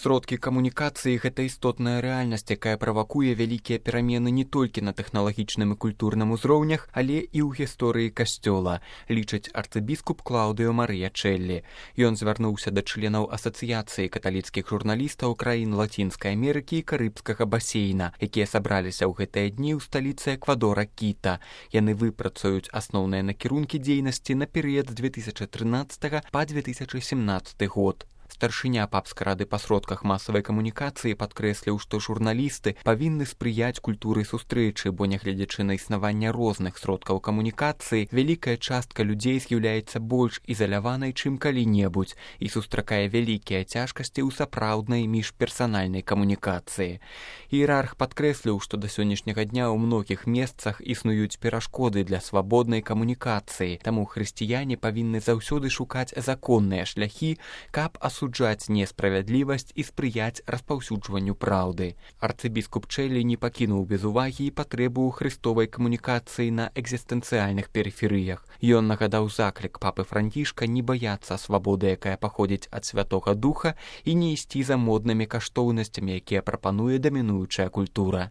Сродкі камунікацыі – гэта істотная рэальнасць, якая правакуе вялікія перамены не толькі на тэхналагічным і культурным узроўнях, але і ў гісторыі касцёла, лічыць арцыбіскуп Клаўдыо Марыя Чэллі. Ён звярнуўся да членаў асацыяцыі каталіцкіх журналістаў краін Лацінскай Амерыкі і Карыбскага басейна, якія сабраліся ў гэтыя дні ў сталіцы Эквадора Кіта. Яны выпрацуюць асноўныя накірункі дзейнасці на перыяд з 2013 па 2017 год. Старшыня папскай рады па сродках масавай камунікацыі падкрэсліў, што журналісты павінны спрыяць культуры сустрэчы, бо нягледзячы на існаванне розных сродкаў камунікацыі, вялікая частка людзей з'яўляецца больш ізаляванай, чым калі-небудзь, і сустракае вялікія цяжкасці ў сапраўднай міжперсанальнай камунікацыі. Іерарх падкрэсліў, што да сённяшняга дня ў многіх месцах існуюць перашкоды для свабоднай камунікацыі, таму хрысціяне павінны заўсёды шукаць законныя шляхі, каб асуджаць несправядлівасць і спрыяць распаўсюджванню праўды. Арцыбіскуп Чэллі не пакінуў без увагі і патрэбу хрыстовай камунікацыі на экзістэнцыяльных перыферыях. Ён нагадаў заклік папы Францішка не баяцца свабоды, якая паходзіць ад Святога Духа, і не ісці за моднымі каштоўнасцямі, якія прапануе дамінуючая культура.